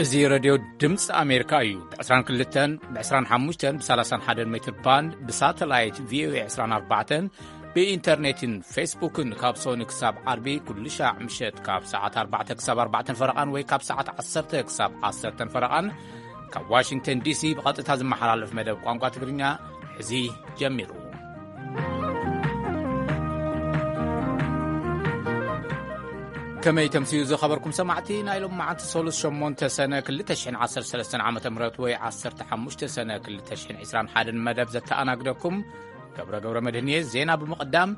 እዚ ሬድዮ ድምፂ ኣሜሪካ እዩ። ብ22፣ ብ25፣ ብ31 ሜትር ባንድ፣ ብሳተላይት ቪኦኤ 24፣ ብኢንተርኔትን ፌስቡክን ካብ ሶኒ ክሳብ ዓርቢ ኩሉ ሻዕ ምሸት ካብ ሰዓት ኣርባዕተ ክሳብ ኣርባዕተ ፈረቓን ወይ ካብ ሰዓት ዓሰርተ ክሳብ ዓሰርተ ፈረቓን ካብ ዋሽንግተን ዲሲ ብቐጥታ ዝመሓላለፍ መደብ ቋንቋ ትግርኛ ሕዚ ጀሚሩ። ከመይ ተምስዩ ዝኸበርኩም ሰማዕቲ፣ ናይ ሎም መዓልቲ ሰሉስ ሸሞንተ ሰነ ክልተ ሽሕን ዓሰርተ ሰለስተን ዓመተ ምህረት ወይ ዓሰርተ ሓሙሽተ ሰነ ክልተ ሽሕን ዕስራን ሓደን መደብ ዘተኣናግደኩም ገብረ ገብረ መድህንየ። ዜና ብምቕዳም፣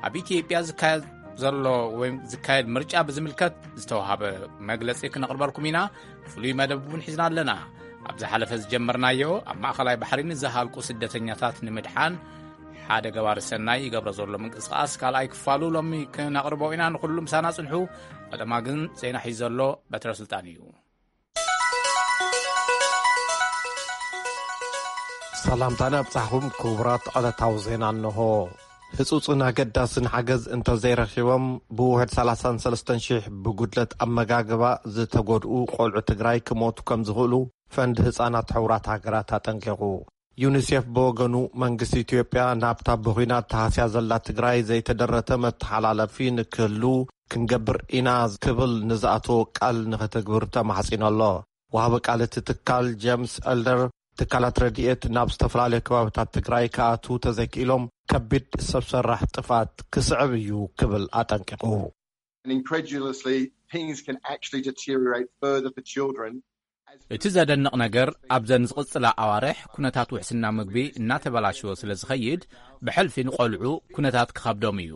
ኣብ ኢትዮጵያ ዝካየድ ዘሎ ወይ ዝካየድ ምርጫ ብዝምልከት ዝተዋሃበ መግለጺ ክነቕርበልኩም ኢና። ፍሉይ መደብ እውን ሒዝና ኣለና። ኣብ ዝሓለፈ ዝጀመርናዮ፣ ኣብ ማእኸላይ ባሕሪ ንዝሃልቁ ስደተኛታት ንምድሓን ሓደ ገባሪ ሰናይ ይገብሮ ዘሎ ምንቅስቓስ ካልኣይ ክፋሉ ሎሚ ክነቕርቦ ኢና። ንኹሉ ምሳና ጽንሑ። ቀደማ ግን ዜና ሒዙ ዘሎ በትረ ስልጣን እዩ። ሰላምታና ኣብጻሕኹም ክቡራት ዕለታዊ ዜና እንሆ። ህጹጽን ኣገዳስን ሓገዝ እንተዘይረኺቦም ብውሕድ ሰላሳን ሰለስተን ሽሕ ብጉድለት ኣመጋግባ ዝተጎድኡ ቆልዑ ትግራይ ክሞቱ ከም ዝኽእሉ ፈንድ ህጻናት ሕቡራት ሃገራት ኣጠንቂቑ። ዩኒሴፍ ብወገኑ መንግስቲ ኢትዮጵያ ናብታ ብኹናት ተሃስያ ዘላ ትግራይ ዘይተደረተ መተሓላለፊ ንክህሉ ክንገብር ኢና ክብል ንዝኣተዎ ቃል ንክትግብር ተማሕጺኑ ኣሎ። ወሃቢ ቃል እቲ ትካል ጀምስ ኤልደር ትካላት ረድኤት ናብ ዝተፈላለዩ ከባብታት ትግራይ ክኣትዉ ተዘይክኢሎም ከቢድ ሰብ ሰራሕ ጥፍኣት ክስዕብ እዩ ክብል ኣጠንቂቑ። And incredulously, things can actually deteriorate further for children. As እቲ ዘደንቕ ነገር ኣብዘን ዝቕጽላ ኣዋርሕ ኩነታት ውሕስና ምግቢ እናተበላሸወ ስለ ዝኸይድ ብሕልፊ ንቖልዑ ኩነታት ክኸብዶም እዩ።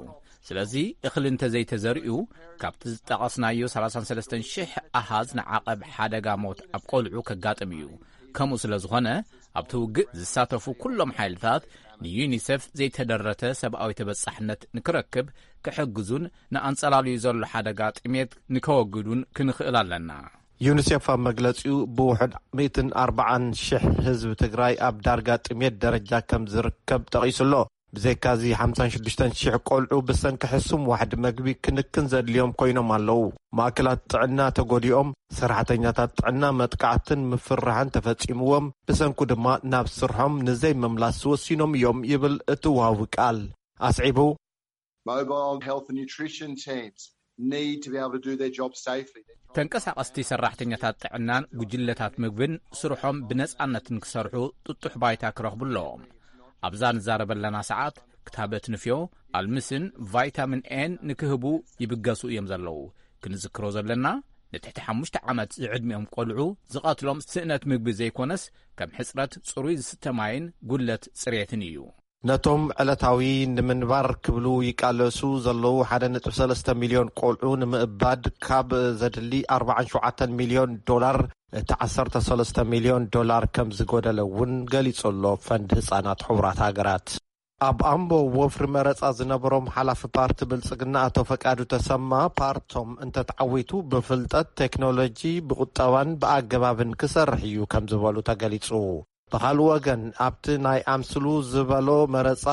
ስለዚ እኽሊ እንተዘይተዘሪኡ ካብቲ ዝጠቐስናዮ ሰላሳን ሰለስተን ሽሕ ኣሃዝ ንዓቐብ ሓደጋ ሞት ኣብ ቆልዑ ከጋጥም እዩ። ከምኡ ስለ ዝኾነ ኣብቲ ውግእ ዝሳተፉ ኩሎም ሓይልታት ንዩኒሴፍ ዘይተደረተ ሰብኣዊ ተበጻሕነት ንክረክብ ክሕግዙን ንኣንጸላልዩ ዘሎ ሓደጋ ጥሜት ንከወግዱን ክንኽእል ኣለና። ዩኒሴፍ ኣብ መግለጺኡ ብውሕድ ሚእትን ኣርባዓን ሽሕ ህዝቢ ትግራይ ኣብ ዳርጋ ጥሜት ደረጃ ከም ዝርከብ ጠቒሱ ኣሎ። ብዘይካዚ ሓምሳን ሽዱሽተን ሽሕ ቆልዑ ብሰንኪ ሕሱም ዋሕዲ መግቢ ክንክን ዘድልዮም ኮይኖም ኣለዉ። ማእከላት ጥዕና ተጎዲኦም፣ ሰራሕተኛታት ጥዕና መጥቃዕትን ምፍርራሕን ተፈጺምዎም፣ ብሰንኩ ድማ ናብ ስርሖም ንዘይምምላስ ወሲኖም እዮም ይብል እቲ ወሃቢ ቃል። ኣስዒቡ፣ Mobile health and nutrition teams need to be able to do their job safely. ተንቀሳቐስቲ ሰራሕተኛታት ጥዕናን ጉጅለታት ምግብን ስርሖም ብነጻነትን ክሰርሑ ጥጡሕ ባይታ ክረኽቡ ኣለዎም። ኣብዛ ንዛረበለና ሰዓት ክታበት ንፍዮ፣ ኣልምስን ቫይታሚን ኤን ንክህቡ ይብገሱ እዮም ዘለዉ። ክንዝክሮ ዘለና፣ ንትሕቲ ሓሙሽተ ዓመት ዝዕድሚኦም ቆልዑ ዝቐትሎም ስእነት ምግቢ ዘይኮነስ፣ ከም ሕጽረት ጽሩይ ዝስተ ማይን ጉድለት ጽሬትን እዩ። ነቶም ዕለታዊ ንምንባር ክብሉ ይቃለሱ ዘለዉ ሓደ ነጥቢ ሰለስተ ሚልዮን ቆልዑ ንምእባድ ካብ ዘድሊ ኣርባዓን ሸውዓተን ሚልዮን ዶላር፣ እቲ ዓሰርተ ሰለስተ ሚልዮን ዶላር ከም ዝጎደለ እውን ገሊጹ ኣሎ ፈንድ ህጻናት ሕቡራት ሃገራት። ኣብ ኣምቦ ወፍሪ መረጻ ዝነበሮም ሓላፊ ፓርቲ ብልጽግና ኣቶ ፈቃዱ ተሰማ፣ ፓርቶም እንተተዓዊቱ ብፍልጠት፣ ቴክኖሎጂ፣ ብቁጠባን ብኣገባብን ክሰርሕ እዩ ከም ዝበሉ ተገሊጹ። ብኻልእ ወገን፣ ኣብቲ ናይ ኣምስሉ ዝበሎ መረጻ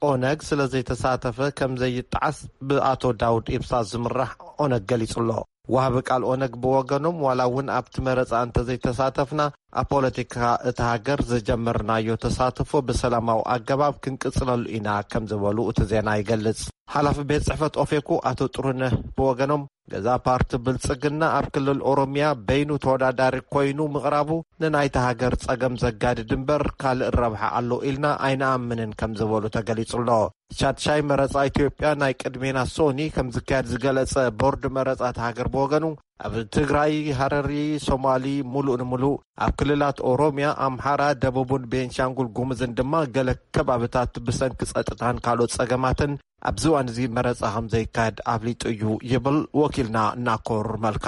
ኦነግ ስለ ዘይተሳተፈ ከም ዘይጠዓስ ብኣቶ ዳውድ ኢብሳ ዝምራሕ ኦነግ ገሊጹ ኣሎ። ወሃቢ ቃል ኦነግ ብወገኖም፣ ዋላ እውን ኣብቲ መረጻ እንተዘይተሳተፍና፣ ኣብ ፖለቲካ እታ ሃገር ዝጀመርናዮ ተሳትፎ ብሰላማዊ ኣገባብ ክንቅጽለሉ ኢና ከም ዝበሉ እቲ ዜና ይገልጽ። ሓላፊ ቤት ጽሕፈት ኦፌኮ ኣቶ ጥሩነህ ብወገኖም፣ ገዛ ፓርቲ ብልጽግና ኣብ ክልል ኦሮሚያ በይኑ ተወዳዳሪ ኮይኑ ምቕራቡ ንናይታ ሃገር ጸገም ዘጋድድ እምበር ካልእ ረብሓ ኣሎ ኢልና ኣይንኣምንን ከም ዝበሉ ተገሊጹ ኣሎ። ሻድሻይ መረጻ ኢትዮጵያ ናይ ቅድሜና ሶኒ ከም ዝካየድ ዝገለጸ ቦርድ መረጻ እታ ሃገር ብወገኑ፣ ኣብ ትግራይ፣ ሃረሪ፣ ሶማሊ፣ ሙሉእ ንሙሉእ፣ ኣብ ክልላት ኦሮሚያ፣ ኣምሓራ፣ ደቡብን ቤንሻንጉል ጉሙዝን ድማ ገለ ከባብታት ብሰንኪ ጸጥታን ካልኦት ጸገማትን ኣብዚ እዋን እዚ መረጻ ከም ዘይካየድ ኣፍሊጡ እዩ ይብል ወኪልና ናኮር መልካ።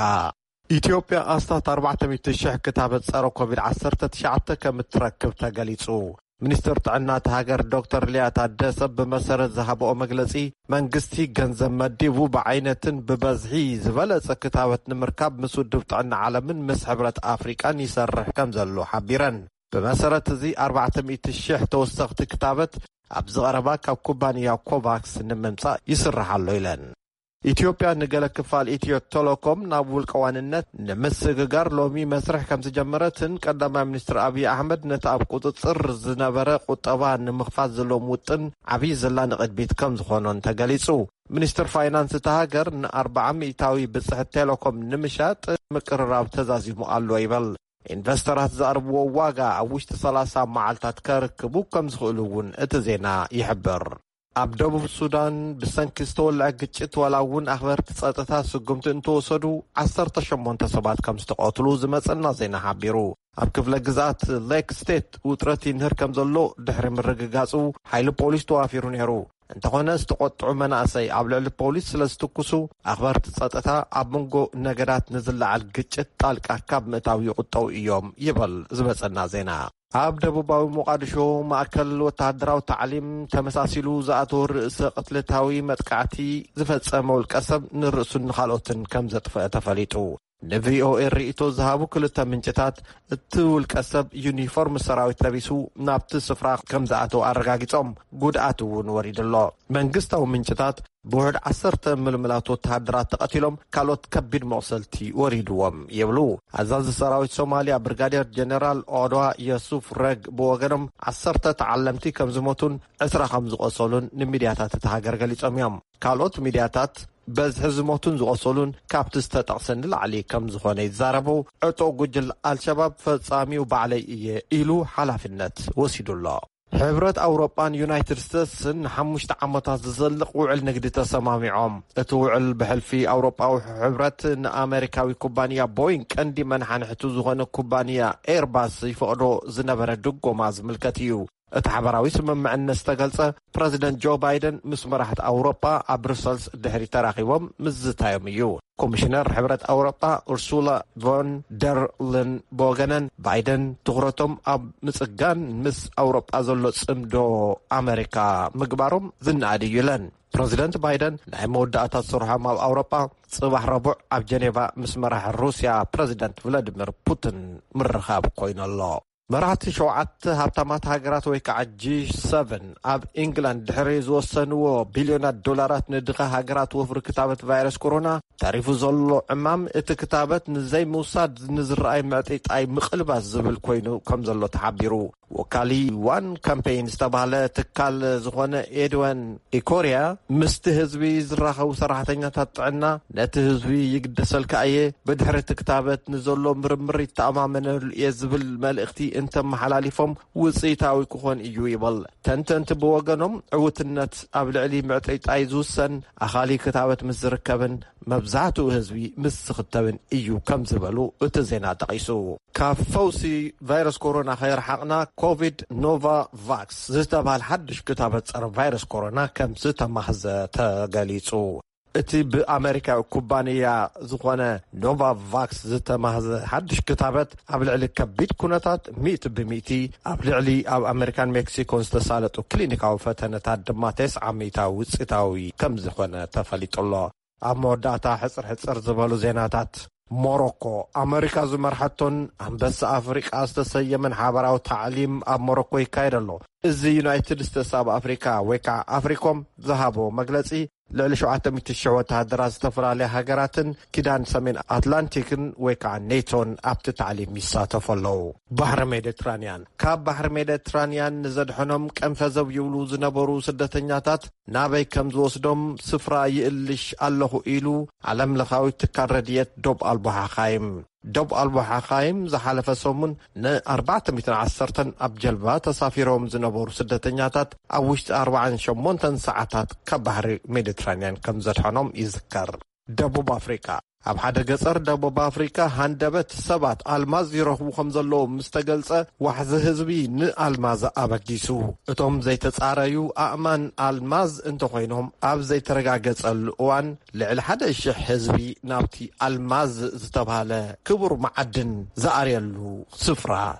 ኢትዮጵያ ኣስታት ኣርባዕተ ሚእቲ ሽሕ ክታበት ጸረ ኮቪድ ዓሰርተ ትሽዓተ ከም እትረክብ ተገሊጹ። ሚኒስትር ጥዕና እታ ሃገር ዶክተር ሊያ ታደሰ ብመሰረት ዝሃብኦ መግለጺ፣ መንግስቲ ገንዘብ መዲቡ ብዓይነትን ብበዝሒ ዝበለጸ ክታበት ንምርካብ ምስ ውድብ ጥዕና ዓለምን ምስ ሕብረት ኣፍሪቃን ይሰርሕ ከም ዘሎ ሓቢረን። ብመሰረት እዚ ኣርባዕተ ሚእቲ ሽሕ ተወሰኽቲ ክታበት ኣብዚ ቀረባ ካብ ኩባንያ ኮቫክስ ንምምጻእ ይስራሕ ኣሎ ኢለን። ኢትዮጵያ ንገለ ክፋል ኢትዮ ቴሌኮም ናብ ውልቀ ዋንነት ንምስግጋር ሎሚ መስርሕ ከም ዝጀመረትን ቀዳማይ ሚኒስትር ኣብይ ኣሕመድ ነቲ ኣብ ቁጽጽር ዝነበረ ቁጠባ ንምኽፋት ዘለዎም ውጥን ዓብዪ ዘላ ንቕድሚት ከም ዝኾኖን ተገሊጹ። ሚኒስትር ፋይናንስ እታ ሃገር ን40% ብጽሕት ቴሌኮም ንምሻጥ ምቅርራብ ተዛዚሙ ኣሎ ይበል። ኢንቨስተራት ዝኣርብዎ ዋጋ ኣብ ውሽጢ ሰላሳ መዓልታት ከርክቡ ከም ዝኽእሉ እውን እቲ ዜና ይሕብር። ኣብ ደቡብ ሱዳን ብሰንኪ ዝተወልዐ ግጭት ዋላ እውን ኣኽበርቲ ጸጥታ ስጉምቲ እንተወሰዱ ዓሰርተ ሸሞንተ ሰባት ከም ዝተቐትሉ ዝመጸና ዜና ሓቢሩ። ኣብ ክፍለ ግዝኣት ሌክ ስቴት ውጥረት ይንህር ከም ዘሎ ድሕሪ ምርግጋጹ ሓይሊ ፖሊስ ተዋፊሩ ነይሩ። እንተኾነ ዝተቖጥዑ መናእሰይ ኣብ ልዕሊ ፖሊስ ስለ ዝትኩሱ ኣኽበርቲ ጸጥታ ኣብ መንጎ ነገዳት ንዝለዓል ግጭት ጣልቃ ካብ ምእታው ይቑጠው እዮም ይበል ዝበጸና ዜና። ኣብ ደቡባዊ ሞቓዲሾ ማእከል ወተሃደራዊ ታዕሊም ተመሳሲሉ ዝኣተወ ርእሰ ቅትለታዊ መጥቃዕቲ ዝፈጸመ ውልቀ ሰብ ንርእሱን ንኻልኦትን ከም ዘጥፍአ ተፈሊጡ። ንቪኦኤ ርእይቶ ዝሃቡ ክልተ ምንጭታት እቲ ውልቀ ሰብ ዩኒፎርም ሰራዊት ለቢሱ ናብቲ ስፍራ ከም ዝኣተወ ኣረጋጊጾም ጉድኣት እውን ወሪዱ ኣሎ። መንግስታዊ ምንጭታት ብውሕድ ዓሰርተ ምልምላት ወተሃደራት ተቐቲሎም ካልኦት ከቢድ መቑሰልቲ ወሪድዎም ይብሉ። ኣዛዚ ሰራዊት ሶማልያ ብርጋዴር ጀነራል ኦድዋ የሱፍ ረግ ብወገኖም ዓሰርተ ተዓለምቲ ከም ዝሞቱን ዕስራ ከም ዝቖሰሉን ንሚድያታት እቲ ሃገር ገሊጾም እዮም። ካልኦት ሚድያታት በዝሒ ዝሞቱን ዝቖሰሉን ካብቲ ዝተጠቕሰ ንላዕሊ ከም ዝኾነ ይዛረቡ። ዕጡቕ ጉጅል ኣልሸባብ ፈጻሚው ባዕለይ እየ ኢሉ ሓላፍነት ወሲዱ ኣሎ። ሕብረት ኣውሮጳን ዩናይትድ ስቴትስን ንሓሙሽተ ዓመታት ዝዘልቕ ውዕል ንግዲ ተሰማሚዖም። እቲ ውዕል ብሕልፊ ኣውሮጳዊ ሕብረት ንኣመሪካዊ ኩባንያ ቦይንግ ቀንዲ መናሓንሕቱ ዝኾነ ኩባንያ ኤርባስ ይፈቕዶ ዝነበረ ድጎማ ዝምልከት እዩ። እቲ ሓበራዊ ስምምዕነት ዝተገልጸ ፕረዚደንት ጆ ባይደን ምስ መራሕቲ ኣውሮጳ ኣብ ብሩሰልስ ድሕሪ ተራኺቦም ምዝታዮም እዩ። ኮሚሽነር ሕብረት ኣውሮጳ ኡርሱላ ቮን ደር ልን ብወገነን ባይደን ትኹረቶም ኣብ ምጽጋን ምስ ኣውሮጳ ዘሎ ጽምዶ ኣመሪካ ምግባሮም ዝነኣድ እዩ ኢለን። ፕረዚደንት ባይደን ናይ መወዳእታ ስርሖም ኣብ ኣውሮጳ ጽባሕ ረቡዕ ኣብ ጀኔቫ ምስ መራሒ ሩስያ ፕረዚደንት ቭላዲሚር ፑቲን ምርኻብ ኮይኑ ኣሎ። መራሕቲ ሸውዓተ ሃብታማት ሃገራት ወይ ከዓ ጂ ሰቨን ኣብ ኢንግላንድ ድሕሪ ዝወሰንዎ ቢልዮናት ዶላራት ንድኻ ሃገራት ወፍሪ ክታበት ቫይረስ ኮሮና ተሪፉ ዘሎ ዕማም እቲ ክታበት ንዘይምውሳድ ንዝረኣይ ምዕጥይጣይ ምቕልባስ ዝብል ኮይኑ ከም ዘሎ ተሓቢሩ። ወካሊ ዋን ካምፔይን ዝተባህለ ትካል ዝኾነ ኤድወን ኢኮርያ ምስቲ ህዝቢ ዝራኸቡ ሰራሕተኛታት ጥዕና ነቲ ህዝቢ ይግደሰልካ እየ፣ ብድሕሪ እቲ ክታበት ንዘሎ ምርምር ይተኣማመነሉ እየ ዝብል መልእኽቲ እንተመሓላሊፎም ውፅኢታዊ ክኾን እዩ ይብል። ተንተንቲ ብወገኖም ዕውትነት ኣብ ልዕሊ ምዕጥይጣይ ዝውሰን ኣኻሊ ክታበት ምስ ዝርከብን መብዛሕትኡ ህዝቢ ምስ ዝኽተብን እዩ ከም ዝበሉ እቲ ዜና ጠቒሱ። ካብ ፈውሲ ቫይረስ ኮሮና ከይረሓቕና ኮቪድ ኖቫቫክስ ዝተባህለ ሓድሽ ክታበት ጸረ ቫይረስ ኮሮና ከም ዝተማህዘ ተገሊጹ። እቲ ብኣመሪካዊ ኩባንያ ዝኾነ ኖቫቫክስ ዝተማህዘ ሓድሽ ክታበት ኣብ ልዕሊ ከቢድ ኩነታት ሚእቲ ብሚእቲ፣ ኣብ ልዕሊ ኣብ ኣመሪካን ሜክሲኮን ዝተሳለጡ ክሊኒካዊ ፈተነታት ድማ ተስዓ ሚእታዊ ውፅኢታዊ ከም ዝኾነ ተፈሊጡ ኣሎ። ኣብ መወዳእታ ሕፅር ሕፅር ዝበሉ ዜናታት። ሞሮኮ፣ ኣመሪካ ዝመርሐቶን ኣንበሳ ኣፍሪቃ ዝተሰየመን ሓበራዊ ታዕሊም ኣብ ሞሮኮ ይካየድ ኣሎ። እዚ ዩናይትድ ስቴትስ ኣብ ኣፍሪካ ወይ ከዓ ኣፍሪኮም ዝሃቦ መግለፂ፣ ልዕሊ ሸውዓተ ሚእቲ ሺሕ ወተሃደራት ዝተፈላለያ ሃገራትን ኪዳን ሰሜን ኣትላንቲክን ወይ ከዓ ኔቶን ኣብቲ ታዕሊም ይሳተፉ ኣለዉ። ባሕሪ ሜዲትራንያን። ካብ ባሕሪ ሜዲትራንያን ንዘድሐኖም ቀንፈዘው ይብሉ ዝነበሩ ስደተኛታት ናበይ ከም ዝወስዶም ስፍራ ይእልሽ ኣለኹ ኢሉ ዓለም ለኻዊ ትካል ረድኤት ዶብ ኣልቦ ሓኻይም። ዶብ ኣልቦ ሓኻይም ዝሓለፈ ሰሙን ን ኣርባዕተ ሚእትን ዓሰርተን ኣብ ጀልባ ተሳፊሮም ዝነበሩ ስደተኛታት ኣብ ውሽጢ ኣርባዓን ሸሞንተን ሰዓታት ካብ ባሕሪ ሜዲትራንያን ከም ዘድሐኖም ይዝከር። ደቡብ ኣፍሪቃ። ኣብ ሓደ ገጸር ደቡብ ኣፍሪቃ ሃንደበት ሰባት ኣልማዝ ይረኽቡ ከም ዘለዉ ምስ ተገልጸ፣ ዋሕዚ ህዝቢ ንኣልማዝ ኣበጊሱ። እቶም ዘይተጻረዩ ኣእማን ኣልማዝ እንተኾይኖም፣ ኣብ ዘይተረጋገጸሉ እዋን ልዕሊ ሓደ ሽሕ ህዝቢ ናብቲ ኣልማዝ ዝተባህለ ክቡር መዓድን ዝኣርየሉ ስፍራ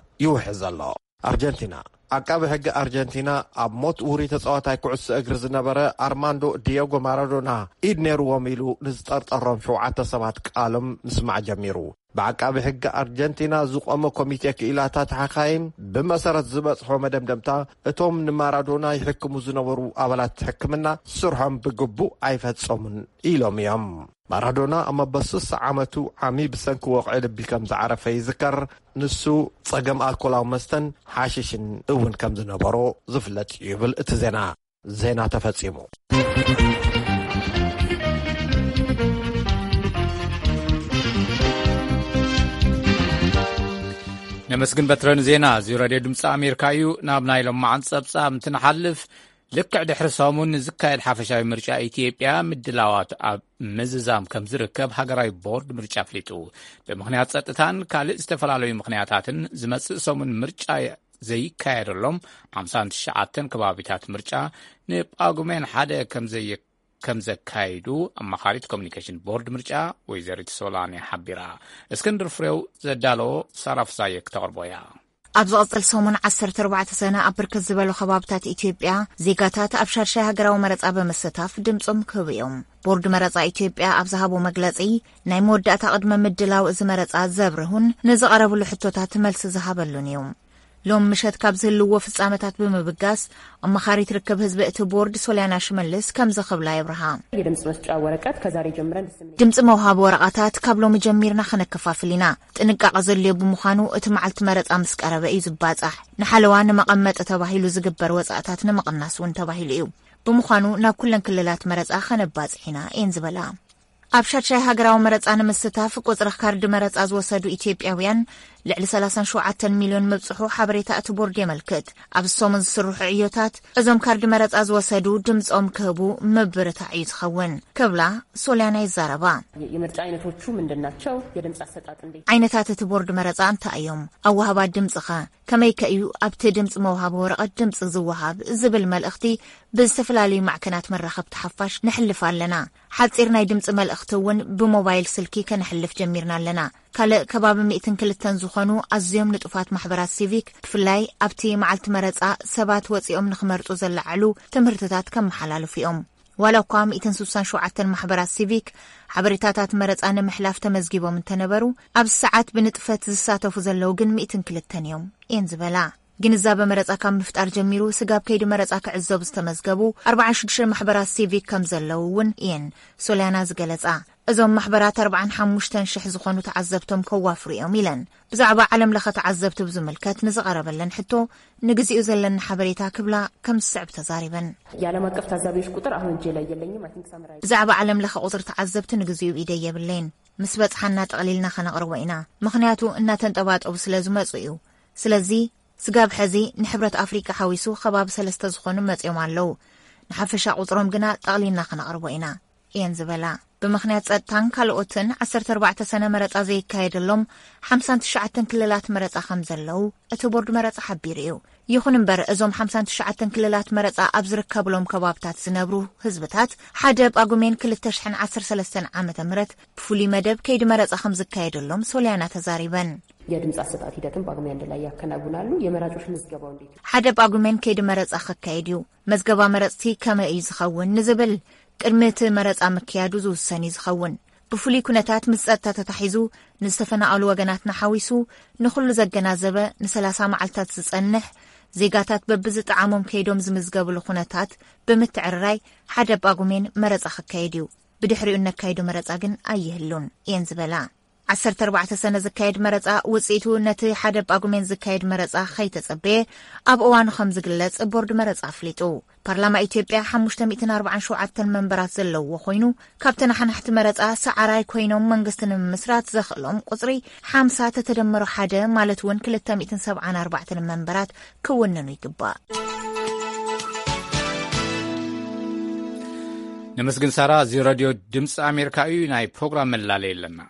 ይውሕዝ ኣሎ። ኣርጀንቲና። ዓቃቢ ሕጊ ኣርጀንቲና ኣብ ሞት ውሩይ ተጻዋታይ ኩዕሶ እግሪ ዝነበረ ኣርማንዶ ዲየጎ ማራዶና ኢድ ነይርዎም ኢሉ ንዝጠርጠሮም ሸውዓተ ሰባት ቃሎም ምስማዕ ጀሚሩ። ብዓቃቢ ሕጊ ኣርጀንቲና ዝቖመ ኮሚቴ ክኢላታት ሓኻይም ብመሰረት ዝበጽሖ መደምደምታ፣ እቶም ንማራዶና ይሕክሙ ዝነበሩ ኣባላት ሕክምና ስርሖም ብግቡእ ኣይፈጸሙን ኢሎም እዮም። ማራዶና ኣብ መበል ስሳ ዓመቱ ዓሚ ብሰንኪ ወቕዒ ልቢ ከም ዝዓረፈ ይዝከር። ንሱ ጸገም ኣልኮላዊ መስተን ሓሽሽን እውን ከም ዝነበሮ ዝፍለጥ እዩ ይብል እቲ ዜና። ዜና ተፈጺሙ። ነመስግን በትረን ዜና። እዚ ሬድዮ ድምፂ ኣሜሪካ እዩ። ናብ ናይ ሎማዓን ጸብጻብ እንትንሓልፍ፣ ልክዕ ድሕሪ ሰሙን ንዝካየድ ሓፈሻዊ ምርጫ ኢትዮጵያ ምድላዋት ኣብ ምዝዛም ከም ዝርከብ ሃገራዊ ቦርድ ምርጫ ኣፍሊጡ። ብምኽንያት ጸጥታን ካልእ ዝተፈላለዩ ምኽንያታትን ዝመጽእ ሰሙን ምርጫ ዘይካየደሎም ሓምሳን ትሽዓተን ከባቢታት ምርጫ ንጳጉሜን ሓደ ከም ዘየ-፣ ከም ዘካይዱ ኣማኻሪት ኮሚኒኬሽን ቦርድ ምርጫ ወይዘሪት ሶላኒ ሓቢራ። እስክንድር ፍሬው ዘዳለዎ ሳራ ፍሳየ ክተቕርቦ እያ። ኣብ ዝቐጽል ሰሙን ዓሰርተ ኣርባዕተ ሰነ ኣብ ብርክት ዝበሉ ከባብታት ኢትዮጵያ ዜጋታት ኣብ ሻድሻይ ሃገራዊ መረጻ ብምስታፍ ድምጾም ክህቡ እዮም። ቦርድ መረጻ ኢትዮጵያ ኣብ ዝሃቦ መግለጺ፣ ናይ መወዳእታ ቅድመ ምድላው እዚ መረጻ ዘብርሁን ንዝቐረብሉ ሕቶታት መልሲ ዝሃበሉን እዩ። ሎም ምሸት ካብ ዝህልዎ ፍጻመታት ብምብጋስ፣ ኣማኻሪት ርክብ ህዝቢ እቲ ቦርድ ሶልያና ሽመልስ ከምዚ ክብላ የብርሃ። የድምፅ መስጫ ወረቀት ከዛሬ ጀምረን ድምፅ መውሃቢ ወረቐታት ካብ ሎሚ ጀሚርና ከነከፋፍል ኢና። ጥንቃቐ ዘድልዮ ብምዃኑ፣ እቲ መዓልቲ መረፃ ምስ ቀረበ እዩ ዝባፃሕ። ንሓለዋ ንመቐመጢ ተባሂሉ ዝግበር ወፃእታት ንምቕናስ እውን ተባሂሉ እዩ። ብምዃኑ፣ ናብ ኩለን ክልላት መረፃ ከነባፅሕ ኢና እየን ዝበላ። ኣብ ሻድሻይ ሃገራዊ መረፃ ንምስታፍ ቁፅሪ ካርዲ መረፃ ዝወሰዱ ኢትዮጵያውያን ልዕሊ ሰላሳን ሸውዓተን ሚልዮን ምብፅሑ ሓበሬታ እቲ ቦርድ የመልክት። ኣብ ሰሙን ዝስርሑ ዕዮታት እዞም ካርዲ መረፃ ዝወሰዱ ድምፆም ክህቡ ምብርታዕ እዩ ዝኸውን ክብላ ሶልያና ይዛረባ። የምርጫ አይነቶቹ ምንድን ናቸው? የድምፅ አሰጣጥ እንዴት? ዓይነታት እቲ ቦርድ መረፃ እንታይ እዮም? ኣወሃባ ድምፅኸ ከመይከ እዩ ኣብቲ ድምፂ መውሃቢ ወረቐት ድምፂ ዝወሃብ ዝብል መልእኽቲ ብዝተፈላለዩ ማዕከናት መራኸብቲ ሓፋሽ ንሕልፍ ኣለና። ሓፂር ናይ ድምፂ መልእኽቲ እውን ብሞባይል ስልኪ ከነሕልፍ ጀሚርና ኣለና። ካልእ ከባቢ ሚእትን ክልተን ዝኾኑ ኣዝዮም ንጡፋት ማሕበራት ሲቪክ ብፍላይ ኣብቲ መዓልቲ መረፃ ሰባት ወፂኦም ንኽመርፁ ዘለዓዕሉ ትምህርትታት ከመሓላልፉ እዮም። ዋላ እኳ ሚእትን ስሳን ሸውዓተን ማሕበራት ሲቪክ ሓበሬታታት መረፃ ንምሕላፍ ተመዝጊቦም እንተነበሩ፣ ኣብዚ ሰዓት ብንጥፈት ዝሳተፉ ዘለዉ ግን ሚእትን ክልተን እዮም እየን ዝበላ። ግንዛበ መረፃ ካብ ምፍጣር ጀሚሩ ስጋብ ከይዲ መረፃ ክዕዘቡ ዝተመዝገቡ ኣርባዓን ሽዱሽተን ማሕበራት ሲቪክ ከም ዘለዉ እውን እየን ሶልያና ዝገለፃ። እዞም ማሕበራት ኣርባዓን ሓሙሽተን ሽሕ ዝኾኑ ተዓዘብቶም ከዋፍሩ እዮም ኢለን። ብዛዕባ ዓለም ለኸ ተዓዘብቲ ብዝምልከት ንዝቐረበለን ሕቶ፣ ንግዚኡ ዘለኒ ሓበሬታ ክብላ ከም ዝስዕብ ተዛሪበን። የዓለም አቀፍ ታዛቢዎች ቁጥር አሁን እጄ ላይ የለኝም። I think summarize ብዛዕባ ዓለም ለኸ ቁፅሪ ተዓዘብቲ ንግዚኡ ኢደይ የብለይን። ምስ በፅሓና ጠቕሊልና ከነቕርቦ ኢና። ምኽንያቱ እናተንጠባጠቡ ስለ ዝመፁ እዩ። ስለዚ ስጋብ ሕዚ ንሕብረት ኣፍሪቃ ሓዊሱ ከባቢ ሰለስተ ዝኾኑ መፂኦም ኣለዉ። ንሓፈሻ ቁፅሮም ግና ጠቕሊልና ከነቕርቦ ኢና እየን ዝበላ። ብምኽንያት ጸጥታን ካልኦትን ዓሰርተ ኣርባዕተ ሰነ መረጻ ዘይካየደሎም ሓምሳን ትሽዓተን ክልላት መረጻ ከም ዘለዉ እቲ ቦርድ መረጻ ሓቢሩ እዩ። ይኹን እምበር፣ እዞም ሓምሳን ትሽዓተን ክልላት መረጻ ኣብ ዝርከብሎም ከባብታት ዝነብሩ ህዝብታት ሓደ ጳጉሜን ክልተ ሽሕን ዓሰርተ ሰለስተን ዓመተ ምህረት ብፍሉይ መደብ ከይዲ መረጻ ከም ዝካየደሎም ሶልያና ተዛሪበን። የድምፅ አሰጣጥ ሂደትን ጳጉሜ አንድ ላይ ያከናውናሉ። የመራጮች ምዝገባው እንዴት? ሓደ ጳጉሜን ከይዲ መረጻ ክካየድ እዩ። መዝገባ መረጽቲ ከመይ እዩ ዝኸውን ንዝብል ቅድሚ እቲ መረጻ ምክያዱ ዝውሰን እዩ ዝኸውን። ብፍሉይ ኩነታት ምስ ጸጥታ ተታሒዙ ንዝተፈናቐሉ ወገናትና ሓዊሱ ንኹሉ ዘገናዘበ ንሰላሳ መዓልታት ዝጸንሕ ዜጋታት በብዝጠዓሞም ከይዶም ዝምዝገብሉ ኩነታት ብምትዕርራይ ሓደ ጳጉሜን መረጻ ክካየድ እዩ። ብድሕሪኡ እነካይዶ መረጻ ግን ኣይህሉን እየን ዝበላ። ዓሰርተ ኣርባዕተ ሰነ ዝካየድ መረጻ ውጽኢቱ ነቲ ሓደ ጳጉሜን ዝካየድ መረጻ ከይተጸበየ ኣብ እዋኑ ከም ዝግለጽ ቦርድ መረጻ ኣፍሊጡ። ፓርላማ ኢትዮጵያ ሓሙሽተ ሚእትን ኣርባዓን ሸውዓተን መንበራት ዘለውዎ ኮይኑ፣ ካብ ተነሓናሕቲ መረጻ ሰዓራይ ኮይኖም መንግስቲ ንምምስራት ዘኽእሎም ቁጽሪ ሓምሳ ተተደመሩ ሓደ ማለት እውን ክልተ ሚእትን ሰብዓን ኣርባዕተን መንበራት ክውንኑ ይግባእ። ነመስግን ሳራ። እዚ ሬድዮ ድምፂ ኣሜሪካ እዩ። ናይ ፕሮግራም መላለይ ኣለና።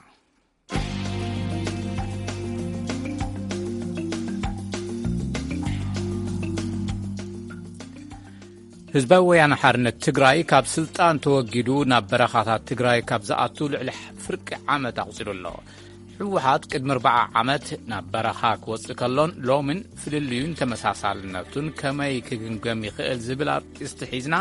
ህዝባዊ ወያነ ሓርነት ትግራይ ካብ ስልጣን ተወጊዱ ናብ በረኻታት ትግራይ ካብ ዝኣቱ ልዕሊ ፍርቂ ዓመት ኣቑጺሩ ኣሎ። ህወሓት ቅድሚ ኣርብዓ ዓመት ናብ በረኻ ክወፅእ ከሎን ሎምን ፍልልዩን ተመሳሳልነቱን ከመይ ክግምገም ይኽእል ዝብል ኣርእስቲ ሒዝና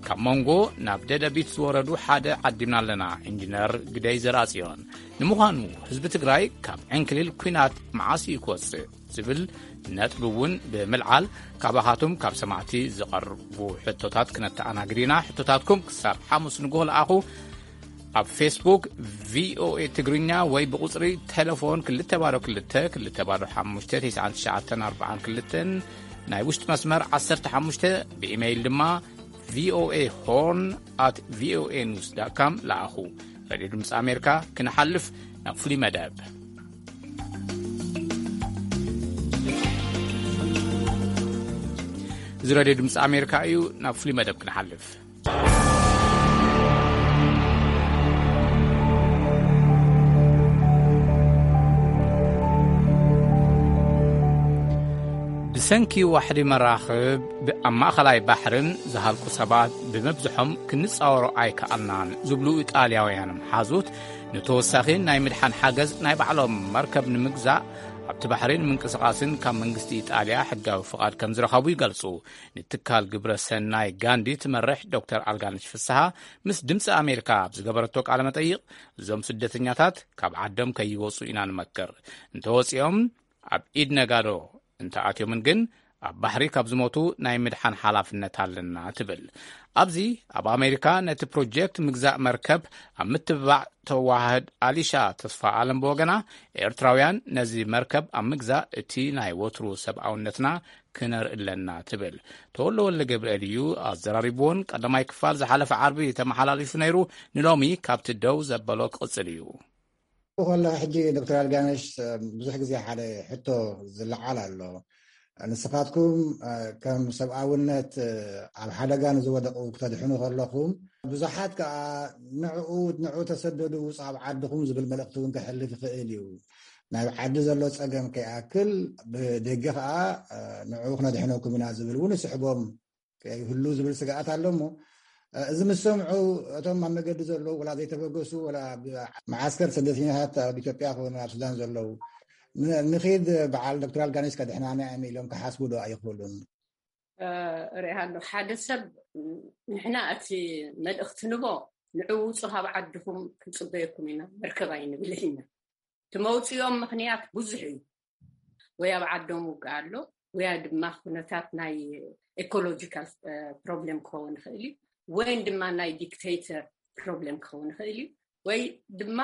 ካብ መንጎ ናብ ደደቢት ዝወረዱ ሓደ ዓዲምና ኣለና። ኢንጂነር ግደይ ዘርኣጽዮን። ንምዃኑ ህዝቢ ትግራይ ካብ ዕንክሊል ኲናት መዓስ እዩ ክወፅእ ዝብል ነጥቢ እውን ብምልዓል ካባኻትኩም ካብ ሰማዕቲ ዝቐርቡ ሕቶታት ክነተኣናግድ ኢና። ሕቶታትኩም ክሳብ ሓሙስ ንግሆ ለኣኹ። ኣብ ፌስቡክ ቪኦኤ ትግርኛ ወይ ብቁፅሪ ቴሌፎን ክልተ ባዶ ክልተ ክልተ ባዶ ሓሙሽተ ተስዓን ትሽዓተን ኣርባዓን ክልተን፣ ናይ ውሽጢ መስመር ዓሰርተ ሓሙሽተ፣ ብኢሜይል ድማ ቪኦኤ ሆርን ኣት ቪኦኤ ኒውስ ዳት ካም ለኣኹ። ሬድዮ ድምፂ ኣሜሪካ፣ ክንሓልፍ ናብ ፍሉይ መደብ። እዚ ሬድዮ ድምፂ ኣሜሪካ እዩ። ናብ ፍሉይ መደብ ክንሓልፍ። ብሰንኪ ዋሕዲ መራኽብ ኣብ ማእኸላይ ባሕርን ዝሃልቁ ሰባት ብምብዝሖም ክንፃወሮ ኣይከኣልናን ዝብሉ ኢጣልያውያን መሓዙት፣ ንተወሳኺ ናይ ምድሓን ሓገዝ ናይ ባዕሎም መርከብ ንምግዛእ ኣብቲ ባሕሪ ንምንቅስቓስን ካብ መንግስቲ ኢጣልያ ሕጋዊ ፍቓድ ከም ዝረኸቡ ይገልጹ። ንትካል ግብረ ሰናይ ጋንዲ ትመርሕ ዶክተር ኣልጋነሽ ፍስሃ ምስ ድምፂ ኣሜሪካ ኣብ ዝገበረቶ ቃለ መጠይቕ፣ እዞም ስደተኛታት ካብ ዓዶም ከይወፁ ኢና ንመክር። እንተወፂኦም ኣብ ኢድ ነጋዶ እንተኣትዮምን ግን ኣብ ባሕሪ ካብ ዝሞቱ ናይ ምድሓን ሓላፍነት ኣለና ትብል። ኣብዚ ኣብ ኣሜሪካ ነቲ ፕሮጀክት ምግዛእ መርከብ ኣብ ምትብባዕ ተዋህድ ኣሊሻ ተስፋ ኣለም ብወገና፣ ኤርትራውያን ነዚ መርከብ ኣብ ምግዛእ እቲ ናይ ወትሩ ሰብኣውነትና ክነርኢ ኣለና ትብል። ተወልደ ወልደ ገብርኤል እዩ ኣዘራሪብዎን ቀዳማይ ክፋል ዝሓለፈ ዓርቢ ተመሓላሊፉ ነይሩ። ንሎሚ ካብቲ ደው ዘበሎ ክቕጽል እዩ። ከሎ ሕጂ ዶክተር ኣልጋነሽ፣ ብዙሕ ግዜ ሓደ ሕቶ ዝለዓል ኣሎ። ንስኻትኩም ከም ሰብኣውነት ኣብ ሓደጋ ንዝወደቑ ክተድሕኑ ከለኹም፣ ብዙሓት ከኣ ንዕኡ ንዕኡ ተሰደዱ ውፁ ኣብ ዓድኹም ዝብል መልእኽቲ እውን ክሕልፍ ይኽእል እዩ። ናብ ዓዲ ዘሎ ጸገም ከይኣክል ብደገ ከኣ ንዕኡ ክነድሕነኩም ኢና ዝብል እውን ይስሕቦም ከይህሉ ዝብል ስግኣት ኣሎ። እሞ እዚ ምስ ሰምዑ፣ እቶም ኣብ መገዲ ዘለዉ ወላ ዘይተበገሱ፣ ወላ ኣብ መዓስከር ስደተኛታት ኣብ ኢትዮጵያ ክኾኑ ኣብ ሱዳን ዘለዉ፣ ን- ንኺድ በዓል ዶክተር ኣልጋነሽ ከድሕናና እዮም ኢሎም ክሓስቡ ዶ ኣይኽእሉን? ርኢሃ ኣሎ ሓደ ሰብ፣ ንሕና እቲ መልእኽቲ ንቦ ንዕውፁ ካብ ዓድኹም ክንፅበየኩም ኢና፣ መርከብ ኣይንብል ኢና። እቲ መውፅኦም ምኽንያት ብዙሕ እዩ። ወይ ኣብ ዓዶም ውግእ ኣሎ፣ ወያ ድማ ኩነታት ናይ ኤኮሎጂካል ፕሮብሌም ክኸውን ይኽእል እዩ፣ ወይን ድማ ናይ ዲክቴተር ፕሮብሌም ክኸውን ይኽእል እዩ፣ ወይ ድማ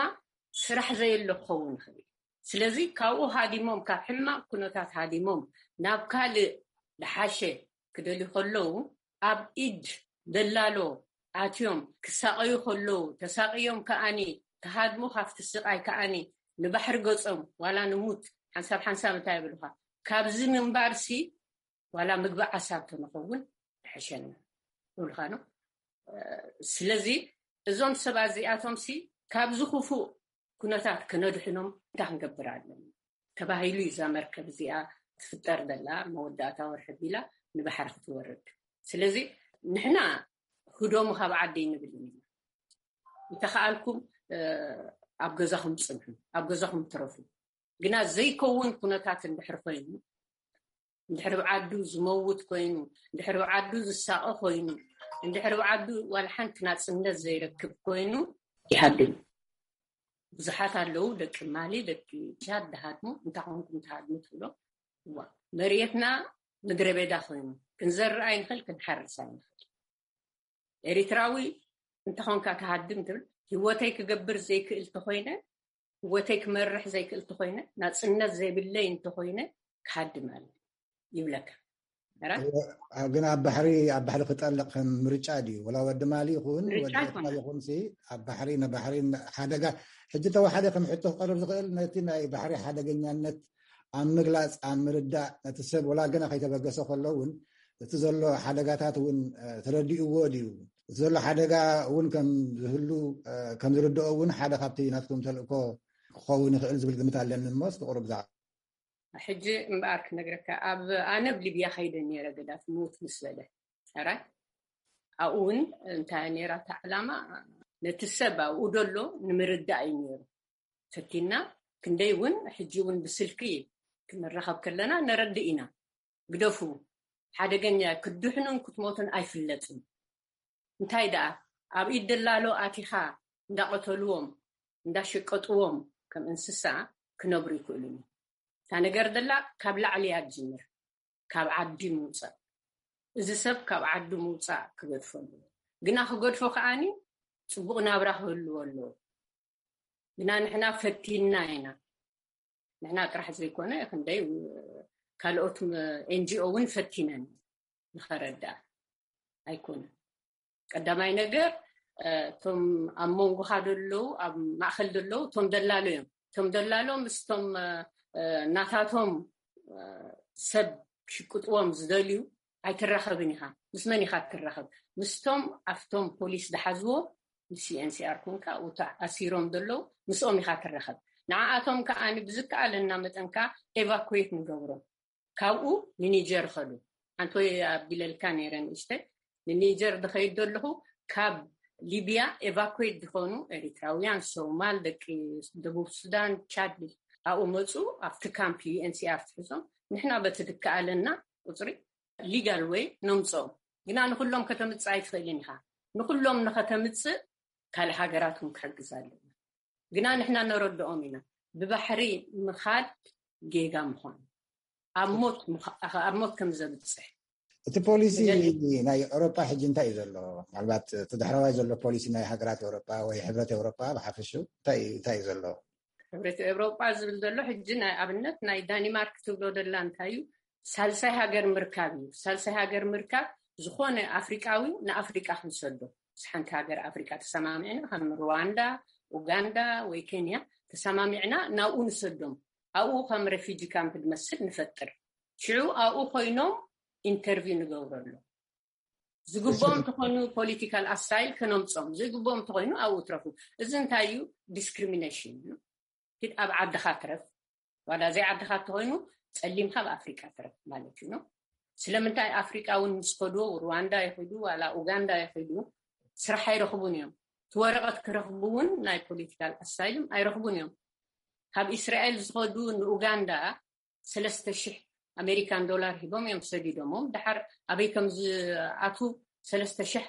ስራሕ ዘየሎ ክኸውን ይኽእል እዩ። ስለዚ ካብኡ ሃዲሞም፣ ካብ ሕማቕ ኩነታት ሃዲሞም ናብ ካልእ ዝሓሸ ክደልዩ ከለዉ፣ ኣብ ኢድ ደላሎ ኣትዮም ክሳቐዩ ከለዉ፣ ተሳቕዮም ከኣኒ ክሃድሙ፣ ካብቲ ስቓይ ከኣኒ ንባሕሪ ገጾም ዋላ ንሙት ሓንሳብ ሓንሳብ እንታይ ይብሉኻ፣ ካብዚ ምንባርሲ ዋላ ምግቢ ዓሳ እንተንኸውን ይሕሸና ይብሉኻ ነው። ስለዚ እዞም ሰባት እዚኣቶምሲ ካብዚ ክፉእ ኩነታት ክነድሕኖም እንታይ ክንገብር ኣለና ተባሂሉ እዩ እዛ መርከብ እዚኣ ትፍጠር ዘላ። መወዳእታ ወርሒ ቢላ ንባሕሪ ክትወርድ። ስለዚ ንሕና ህደሙ ካብ ዓደይ ንብል ኢና። እንተኸኣልኩም ኣብ ገዛኹም ፅንሑ፣ ኣብ ገዛኹም ትረፉ። ግና ዘይከውን ኩነታት እንድሕር ኮይኑ፣ እንድሕር ኣብ ዓዱ ዝመውት ኮይኑ፣ እንድሕር ኣብ ዓዱ ዝሳቐ ኮይኑ፣ እንድሕር ኣብ ዓዱ ዋላ ሓንቲ ናፅነት ዘይረክብ ኮይኑ ይሃድም። ብዙሓት ኣለዉ፣ ደቂ ማሊ፣ ደቂ ሻድ ድሃድሙ። እንታይ ኮንኩም ትሃድሙ ትብሎ? እዋ መሬትና ምድረ በዳ ኮይኑ ክንዘርእ ኣይንኽእል፣ ክንሓርስ ኣይንኽእል። ኤሪትራዊ እንተኾንካ ትሃድም ትብል። ህይወተይ ክገብር ዘይክእል ተኾይነ፣ ህይወተይ ክመርሕ ዘይክእል ተኾይነ፣ ናፅነት ዘይብለይ እንተኾይነ ክሃድም ኣለ ይብለካ። ራ ግን ኣብ ባሕሪ ኣብ ባሕሪ ክጠልቕ ከም ምርጫ ድዩ? ወላ ወዲ ማሊ ይኹን ምርጫ ወዲ ኤርትራ ኣይኮነን። ይኹን ሲ ኣብ ባሕሪ ንባሕሪ ሓደጋ ሕጂ ተወሓደ ከም ሕቶ ክቐርብ ዝኽእል ነቲ ናይ ባሕሪ ሓደገኛነት ኣብ ምግላፅ ኣብ ምርዳእ ነቲ ሰብ ወላ ገና ከይተበገሰ ከሎ እውን እቲ ዘሎ ሓደጋታት እውን እ፣ ተረዲእዎ ድዩ? እቲ ዘሎ ሓደጋ እውን ከም ዝህሉ እ፣ ከም ዝርድኦ እውን ሓደ ካብቲ ናትኩም ተልእኮ ክኸውን ይኽእል ዝብል ግምት ኣለኒ። እሞ እስኪ ቁሩብ ዛ ሕጂ እምበኣር ክነግረካ፣ ኣብ ኣነ ኣብ ሊብያ ከይደ ነይረ፣ ገዳፊ ምውት ምስ በለ። ሕራይ ኣብኡ እውን እንታይ ነይራ እታ ዕላማ? ነቲ ሰብ ኣብኡ ደሎ ንምርዳእ እዩ ነይሩ። ፈቲና ክንደይ እውን ሕጂ እውን ብስልኪ ክንራኸብ ከለና ነረድእ ኢና። ግደፉ፣ ሓደገኛ፣ ክትድሕኑን ክትሞቱን ኣይፍለጥን። እንታይ ደኣ፣ ኣብ ኢድ ደላሎ ኣቲኻ እንዳቐተልዎም እንዳሸቀጥዎም ከም እንስሳ ክነብሩ ይክእሉን። እታ ነገር ደላ ካብ ላዕሊ እያ ትጅምር፣ ካብ ዓዲ ምውፃእ። እዚ ሰብ ካብ ዓዲ ምውፃእ ክገድፎ ኣለዎ። ግና ክገድፎ ከዓኒ ፅቡቕ ናብራ ክህልዎ ኣለዎ። ግና ንሕና ፈቲንና ኢና። ንሕና ጥራሕ ዘይኮነ፣ ክንደይ ካልኦት ኤንጂኦ እውን ፈቲነን ንኸረድኣ ኣይኮነን። ቀዳማይ ነገር፣ እቶም ኣብ መንጎኻ ዘለዉ፣ ኣብ ማእኸል ዘለዉ እቶም ደላሎ እዮም። እቶም ደላሎ ምስቶም ናታቶም ሰብ ክሽቅጥዎም ዝደልዩ ኣይትራኸብን ኢኻ። ምስ መን ኢኻ ትራኸብ? ምስቶም ኣብቶም ፖሊስ ዝሓዝዎ፣ ምስ ዩኤንሲኣር ኮንካ ኣብኡ ኣሲሮም ዘለዉ ምስኦም ኢኻ ትራኸብ። ንዓኣቶም ከኣ ብዝከኣለና መጠን ከኣ ኤቫኩዌት ንገብሮም። ካብኡ ንኒጀር ኸዱ። ሓንቲ ኣቢለልካ ነይረ ንእሽተይ። ንኒጀር ዝኸይድ ዘለኹ ካብ ሊብያ ኤቫኩዌት ዝኾኑ ኤሪትራውያን፣ ሶማል፣ ደቂ ደቡብ ሱዳን፣ ቻድ ኣብኡ መፁ። ኣብቲ ካምፕ ዩኤንሲኣር ትሕዞም። ንሕና በቲ ዝከኣለና ቁፅሪ ሊጋል ወይ ነምፅኦም። ግና ንኩሎም ከተምፅእ ኣይትኽእልን ኢኻ። ንኩሎም ንኸተምፅእ ካልእ ሃገራት እውን ክሕግዝ ኣለና። ግና ንሕና ነረድኦም ኢና። ብባሕሪ ምኻድ ጌጋ ምዃኑ፣ ኣብ ሞት ምኻ-፣ ኣብ ሞት ከም ዘብፅሕ። እቲ ፖሊሲ ናይ ኤውሮጳ ሕጂ እንታይ እዩ ዘሎ? ምናልባት እቲ ዳሕረዋይ ዘሎ ፖሊሲ ናይ ሃገራት ኤውሮጳ ወይ ሕብረት ኤውሮጳ ብሓፈሽኡ እንታይ እዩ፣ እንታይ እዩ ዘሎ? ሕብረት ኤውሮጳ ዝብል ዘሎ ሕጂ ናይ ኣብነት ናይ ዳኒማርክ ትብሎ ደላ እንታይ እዩ? ሳልሳይ ሃገር ምርካብ እዩ። ሳልሳይ ሃገር ምርካብ ዝኾነ ኣፍሪቃዊ ንኣፍሪቃ ክንሰዶ። ምስ ሓንቲ ሃገር ኣፍሪቃ ተሰማሚዕና፣ ከም ሩዋንዳ፣ ኡጋንዳ ወይ ኬንያ ተሰማሚዕና ናብኡ ንሰዶም። ኣብኡ ከም ሬፊጂ ካምፕ ዝመስል ንፈጥር። ሽዑ ኣብኡ ኮይኖም ኢንተርቪው ንገብረሎም። ዝግቦም እንተኾይኑ ፖለቲካል ኣሳይል ከነምጾም፣ ዘይግቦም እንተኾይኑ ኣብኡ ትረፉ። እዚ እንታይ እዩ? ዲስክሪሚኔሽን እዩ። ኪድ ኣብ ዓድኻ ትረፍ፣ ዋላ ዘይ ዓድኻ እንተኾይኑ ጸሊምካ ኣብ ኣፍሪቃ ትረፍ ማለት እዩ። ስለምንታይ ኣፍሪቃ እውን ምስ ከዱ፣ ሩዋንዳ ይኸዱ፣ ዋላ ኡጋንዳ ይኸዱ፣ ስራሕ ኣይረኽቡን እዮም። እቲ ወረቐት ክረኽቡ እውን ናይ ፖለቲካል ኣሳይልም ኣይረኽቡን እዮም። ካብ እስራኤል ዝኸዱ ንኡጋንዳ ሰለስተ ሽሕ ኣሜሪካን ዶላር ሂቦም እዮም ሰዲዶሞም። ድሓር ኣበይ ከም ዝኣትዉ ሰለስተ ሽሕ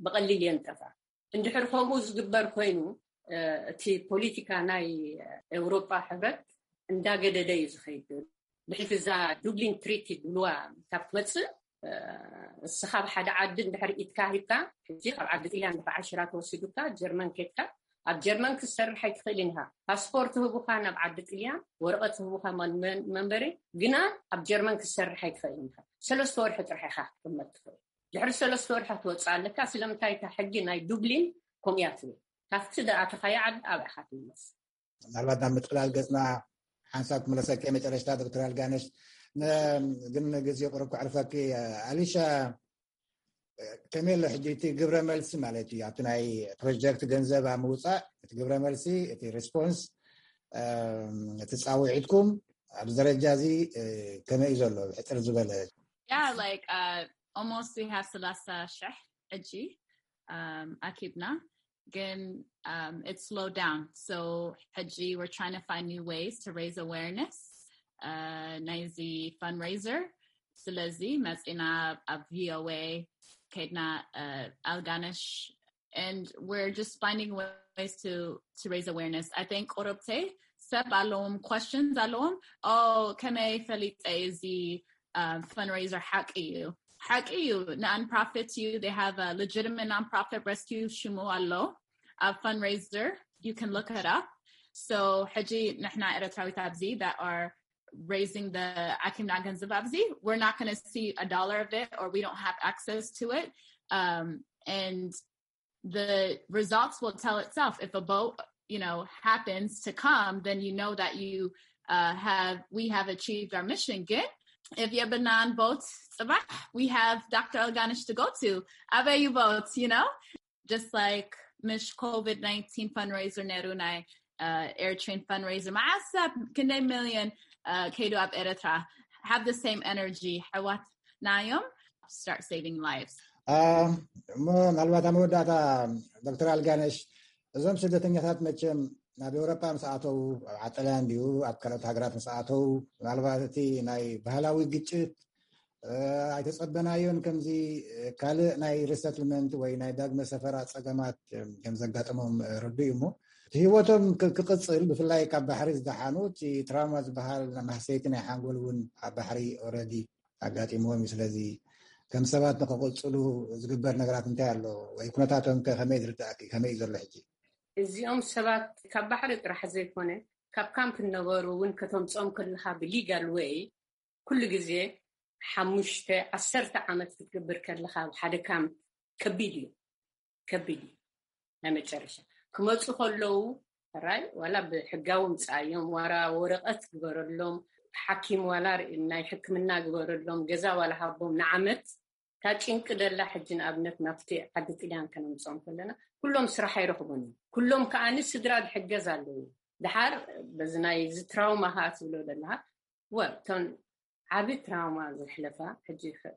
ብቐሊል እየን ጠፍኣ። እንድሕር ከምኡ ዝግበር ኮይኑ፣ እቲ ፖለቲካ ናይ ኤውሮጳ ሕብረት እንዳገደደ እዩ ዝኸይድ። ድሕሪ እዛ ዱብሊን ትሪቲ ድልዋ ካብ ትመጽእ፣ እስኻ ኣብ ሓደ ዓዲ እንድሕር ኢድካ ሂብካ፣ ሕጂ ካብ ዓዲ ጥልያን ድሕሪ ዓሽራ ተወሲዱካ ጀርመን ኬድካ፣ ኣብ ጀርመን ክትሰርሕ ኣይትኽእልን ኢኻ። ፓስፖርት ህቡኻ ናብ ዓዲ ጥልያን፣ ወረቐት ህቡኻ መን-፣ መን-፣ መንበሪ፣ ግና ኣብ ጀርመን ክትሰርሕ ኣይትኽእልን ኢኻ። ሰለስተ ወርሒ ጥራሕ ኢኻ ክትቅመጥ ትኽእል። ድሕሪ ሰለስተ ወርሒ ክትወፅእ ኣለካ። ስለምንታይ? እታ ሕጊ ናይ ዱብሊን ከምኡ እያ ትብል። ካብቲ ዝኣተኻዮ ዓዲ ኣብኣ ኢኻ ትምለስ። ምናልባት ናብ ምጥቅላል ገፅና ሓንሳብ ክምለሰካ መጨረሽታ ዶክተር ኣልጋነሽ፣ ን-፣ ግን ግዜ ቁሩብ ከዕርፈኪ። ኣሊሻ፣ ከመይ ኣሎ ሕጂ እቲ ግብረ መልሲ ማለት እዩ? ኣብቲ ናይ ፕሮጀክት ገንዘብ ኣብ ምውፃእ እቲ ግብረ መልሲ፣ እቲ ሪስፖንስ፣ እም፣ እቲ ፃውዒትኩም ኣብዚ ደረጃ እዚ፣ እ፣ ከመይ እዩ ዘሎ? ብሕፅር ዝበለ። Yeah, like, uh, almost we have ሰላሳ ሽሕ ሕጂ, um, ኣኪብና፣ ግን, um, it's slowed down. So ሕጂ we're trying to find new ways to raise awareness, uh, ናይዚ fundraiser. ስለዚ መፂና ኣብ ቪኦኤ ከይድና፣ uh, ኣልጋነሽ, and we're just finding ways to, to raise awareness. I think ቁሩብተይ ሰብ ኣለዎም፣ questions ኣለዎም። Oh, ከመይ ፈሊጠ እዚ, uh, fundraiser ሓቂ እዩ? ሓቂ እዩ፣ non-profit እዩ። They have a legitimate non-profit rescue ሽሙ ኣሎ ኣብ fundraiser. You can look it up. So ሕጂ ንሕና ኤርትራዊት ኣብዚ that are raising the ኣኪብና ገንዘብ ኣብዚ, we're not gonna see a dollar of it, or we don't have access to it. Um, and the results will tell itself. If a boat, you know, happens to come, then you know that you, uh, have, we have achieved our mission. Good. If you have a non-boat, we have Doctor Alganish to go to. ኣበይ እዩ ቦት, you know? Just like ምሽ ኮቪድ ናይንቲን fundraiser ነይሩ፣ ናይ, uh, Air Train fundraiser፣ መዓት ሰብ፣ ክንደይ ሚልዮን, uh, ከይዱ ኣብ ኤርትራ። Have the same energy. ኣሕዋትና እዮም። Start saving lives. አ፣ እሞ ምናልባት ኣብ መወዳእታ ዶክተር ኣልጋነሽ፣ እዞም ስደተኛታት መቸም ናብ ኤውሮጳ ምስ ኣተዉ፣ ኣብ ዓጠልያን ድዩ ኣብ ካልኦት ሃገራት ምስ ኣተዉ፣ ምናልባት እቲ ናይ ባህላዊ ግጭት፣ እ፣ ኣይተጸበናዮን። ከምዚ፣ እ፣ ካልእ ናይ ሪሰትልመንት ወይ ናይ ዳግመ ሰፈራ ጸገማት፣ እ፣ ከም ዘጋጠሞም፣ እ፣ ርዱእ እዩ። እሞ እቲ ህይወቶም ክ-፣ ክቕጽል፣ ብፍላይ ካብ ባሕሪ ዝደሓኑ፣ እቲ ትራውማ ዝበሃል ማህሰይቲ ናይ ሓንጎል እውን ኣብ ባሕሪ ኦልረዲ ኣጋጢምዎም እዩ። ስለዚ ከም ሰባት ንክቕጽሉ ዝግበር ነገራት እንታይ ኣሎ? ወይ ኩነታቶም ከ ከመይ ዝርዳእኪ? ከመይ እዩ ዘሎ ሕጂ? እዚኦም ሰባት ካብ ባሕሪ ጥራሕ ዘይኮነ፣ ካብ ካምፕ እነበሩ እውን ከተምጽኦም ከለኻ ብሊጋል ወይ ኩሉ ግዜ ሓሙሽተ፣ ዓሰርተ ዓመት ክትገብር ከለኻ ኣብ ሓደ ካምፕ ከቢድ እዩ፣ ከቢድ እዩ። ናይ መጨረሻ ክመጹ ከለዉ ራይ ዋላ ብሕጋዊ ምጻዮም፣ ዋላ ወረቐት ግበረሎም፣ ሓኪም ዋላ ር-፣ ናይ ሕክምና ግበረሎም፣ ገዛ ዋላ ሃቦም ንዓመት። እታ ጭንቂ ደላ ሕጂ ንኣብነት ናብቲ ዓዲ ጥልያን ከነምጽኦም ከለና ኩሎም ስራሕ ኣይረኽቡን እዮም። ኩሎም ከኣኒ ስድራ ዝሕገዝ ኣለዉ። ድሓር በዚ ናይ እዚ ትራውማ ከኣ ትብሎ ዘለኻ፣ ወ-፣ እተን ዓቢ ትራውማ ዘሕለፋ፣ ሕጂ ከ-፣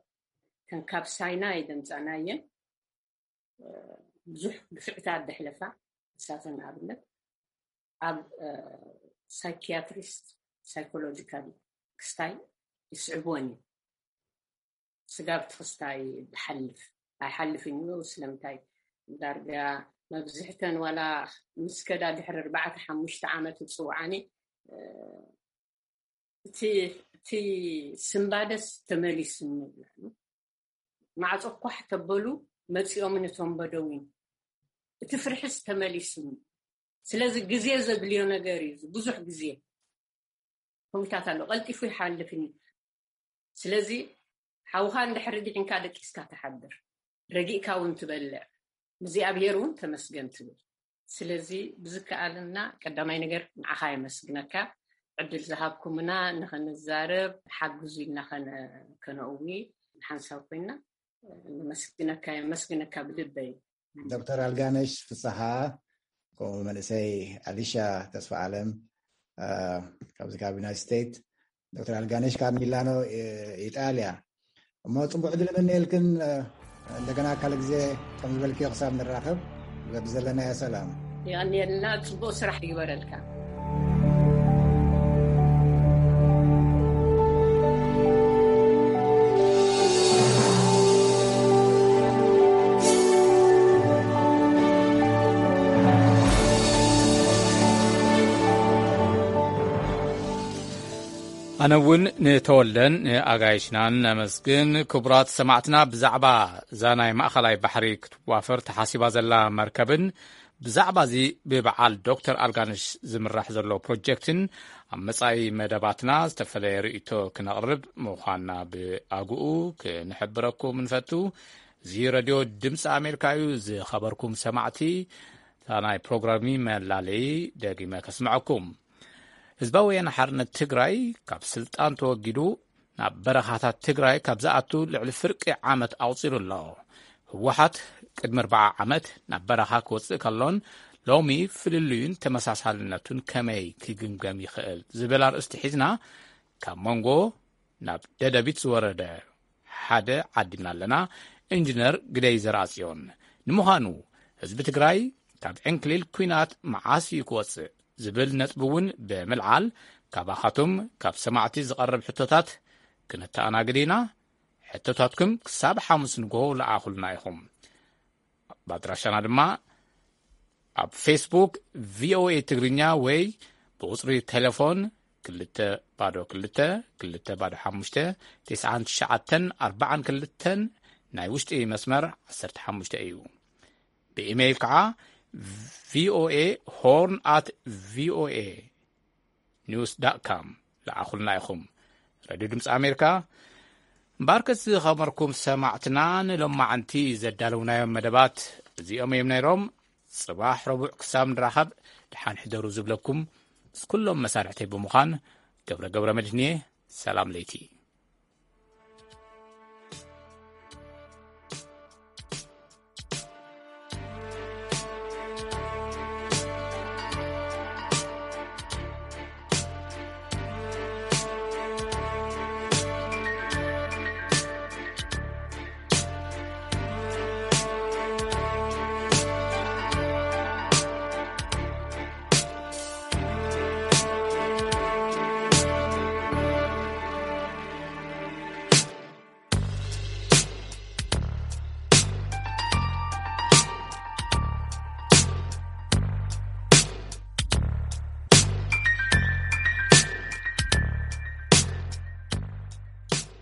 እተን ካብ ሳይናይ ደምጻናየን፣ እ፣ ብዙሕ ግፍዕታት ዘሕለፋ፣ ንሳተን ንኣብነት ኣብ፣ እ፣ ሳይኪያትሪስት፣ ሳይኮሎጂካል ክስታይ ይስዕብወን እዩ። ስጋብ ትኽስታይ ዝሓልፍ ኣይሓልፍን እዩ። ስለምንታይ? ዳርጋ መብዝሕተን ዋላ ምስ ከዳ ድሕሪ ኣርባዕተ ሓሙሽተ ዓመት ይጽውዓኒ፣ እ፣ እቲ፣ እቲ ስምባደስ ተመሊሱኒ ይብላሉ። ማዕጾ ኳሕ ተበሉ መጺኦምን እቶም በደዊን። እቲ ፍርሕስ ተመሊሱኒ። ስለዚ ግዜ ዘድልዮ ነገር እዩ። ብዙሕ ግዜ ከምኡታት ኣሎ። ቀልጢፉ ይሓልፍን እዩ። ስለዚ ሓውኻ እንድሕሪ ድሒንካ ደቂስካ ትሓድር። ረጊእካ እውን ትበልዕ። እግዚኣብሔር እውን ተመስገን ትብል። ስለዚ ብዝከኣልና ቀዳማይ ነገር ንዓኻ የመስግነካ። ዕድል ዝሃብኩምና ንኸንዛረብ ሓግዙ ኢልና ከነ-፣ ከነእዊ ሓንሳብ ኮይና ነመስግነካ፣ የመስግነካ ብልበይ። ዶክተር ኣልጋነሽ ፍስሓ፣ ከምኡ መንእሰይ ኣሊሻ ተስፋ ኣለም፣ እ፣ ካብዚ ካብ ዩናይትድ ስቴትስ፣ ዶክተር ኣልጋነሽ ካብ ሚላኖ፣ እ፣ ኢጣልያ። እሞ ጽቡቕ ዕድል እምነየልክን፣ እ፣ እንደገና ካልእ ግዜ ከም ዝበልክዮ ክሳብ ንራኸብ፣ በብዘለናዮ ሰላም። የቐንየልና፣ ጽቡቕ ስራሕ ይግበረልካ። ኣነ እውን ንተወልደን ንኣጋይሽናን ነመስግን። ክቡራት ሰማዕትና፣ ብዛዕባ እዛ ናይ ማእኸላይ ባሕሪ ክትዋፈር ተሓሲባ ዘላ መርከብን ብዛዕባ እዚ ብበዓል ዶክተር ኣልጋነሽ ዝምራሕ ዘሎ ፕሮጀክትን ኣብ መጻኢ መደባትና ዝተፈለየ ርእይቶ ክነቕርብ ምዃንና ብኣግኡ ክንሕብረኩም ንፈቱ። እዚ ረድዮ ድምፂ ኣሜሪካ እዩ። ዝኸበርኩም ሰማዕቲ፣ እታ ናይ ፕሮግራሚ መላለዪ ደጊመ ከስምዐኩም። ህዝባዊ ወያነ ሓርነት ትግራይ ካብ ስልጣን ተወጊዱ ናብ በረኻታት ትግራይ ካብ ዝኣቱ ልዕሊ ፍርቂ ዓመት ኣቑጺሩ ኣሎ። ህወሓት ቅድሚ ኣርባዓ ዓመት ናብ በረኻ ክወጽእ ከሎን ሎሚ ፍልልዩን ተመሳሳልነቱን ከመይ ክግምገም ይኽእል ዝብል ኣርእስቲ ሒዝና ካብ መንጎ ናብ ደደቢት ዝወረደ ሓደ ዓዲምና ኣለና። ኢንጂነር ግደይ ዘርኣጽዮን። ንምዃኑ ህዝቢ ትግራይ ካብ ዕንክሊል ኲናት መዓስ እዩ ክወጽእ ዝብል ነጥቢ እውን ብምልዓል ካባኻትኩም ካብ ሰማዕቲ ዝቐርብ ሕቶታት ክነተኣናግድ ኢና። ሕቶታትኩም ክሳብ ሓሙስ ንግሆ ለኣኹልና ኢኹም። ኣብ ኣድራሻና ድማ ኣብ ፌስቡክ ቪኦኤ ትግርኛ ወይ ብቁጽሪ ቴሌፎን ክልተ ባዶ ክልተ ክልተ ባዶ ሓሙሽተ ትስዓን ትሽዓተን ኣርባዓን ክልተን ናይ ውሽጢ መስመር ዓሰርተ ሓሙሽተ እዩ። ብኢሜይል ከዓ ቪኦኤ ሆርን ኣት ቪኦኤ ኒውስ ዳት ካም ለኣኹልና ኢኹም። ሬድዮ ድምፂ ኣሜሪካ። እምበኣርከስ ዝኸበርኩም ሰማዕትና፣ ንሎማዓንቲ ዘዳለውናዮም መደባት እዚኦም እዮም ነይሮም። ጽባሕ ረቡዕ ክሳብ ንራኸብ ደሓን ሕደሩ ዝብለኩም ምስ ኩሎም መሳርሕተይ ብምዃን ገብረ ገብረ መድህንየ፣ ሰላም ለይቲ።